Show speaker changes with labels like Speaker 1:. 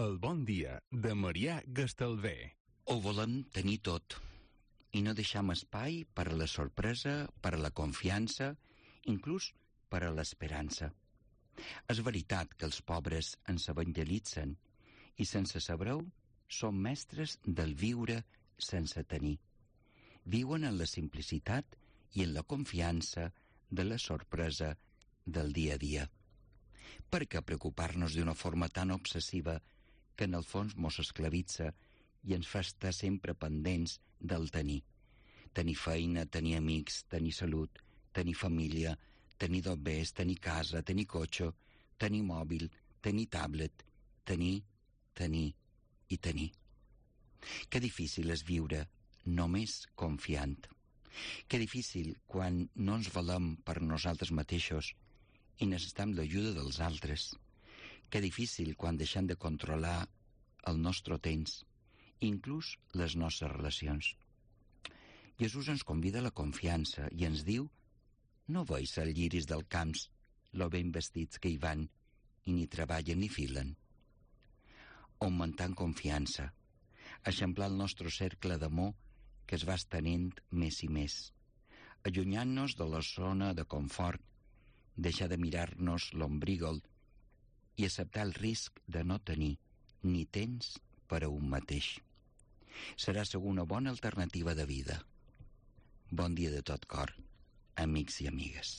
Speaker 1: El bon dia de Marià Gastalver.
Speaker 2: Ho volem tenir tot i no deixam espai per a la sorpresa, per a la confiança, inclús per a l'esperança. És veritat que els pobres ens evangelitzen i sense saber-ho són mestres del viure sense tenir. Viuen en la simplicitat i en la confiança de la sorpresa del dia a dia. Per què preocupar-nos d'una forma tan obsessiva que en el fons mos esclavitza i ens fa estar sempre pendents del tenir? Tenir feina, tenir amics, tenir salut, tenir família, tenir dobbers, tenir casa, tenir cotxe, tenir mòbil, tenir tablet, tenir i tenir. Que difícil és viure només confiant. Que difícil quan no ens valem per nosaltres mateixos i necessitem l'ajuda dels altres. Que difícil quan deixem de controlar el nostre temps, inclús les nostres relacions. Jesús ens convida a la confiança i ens diu: no veus els lliris del camps, lo ben vestits que hi van, i ni treballen ni filen. Augmentant confiança, eixamplar el nostre cercle d'amor que es va estenent més i més, allunyant-nos de la zona de confort, deixar de mirar-nos l'ombrígol i acceptar el risc de no tenir ni temps per a un mateix. Serà segur una bona alternativa de vida. Bon dia de tot cor, amics i amigues.